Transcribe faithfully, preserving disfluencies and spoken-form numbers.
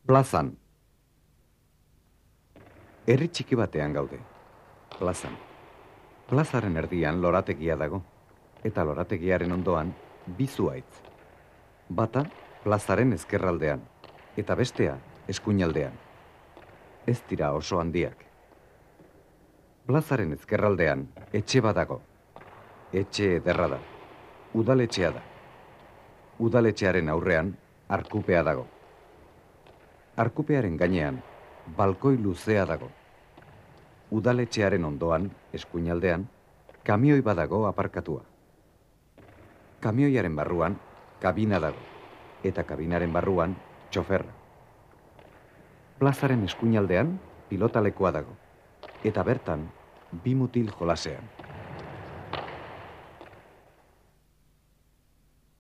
Plazan. Herri txiki batean gaude. Plazan. Plazaren erdian lorategia dago, eta lorategiaren ondoan bi zuhaitz. Bata plazaren ezkerraldean, eta bestea eskuinaldean. Ez dira oso handiak. Plazaren ezkerraldean etxe badago. Etxe ederra da. Udaletxea da. Udaletxearen aurrean arkupea dago. Arkupearen gainean balkoi luzea dago. Udaletxearen ondoan, eskuinaldean, kamioi badago aparkatua. Kamioiaren barruan kabina dago, eta kabinaren barruan txoferra. Plazaren eskuinaldean pilotalekoa dago, eta bertan bi mutil jolasean.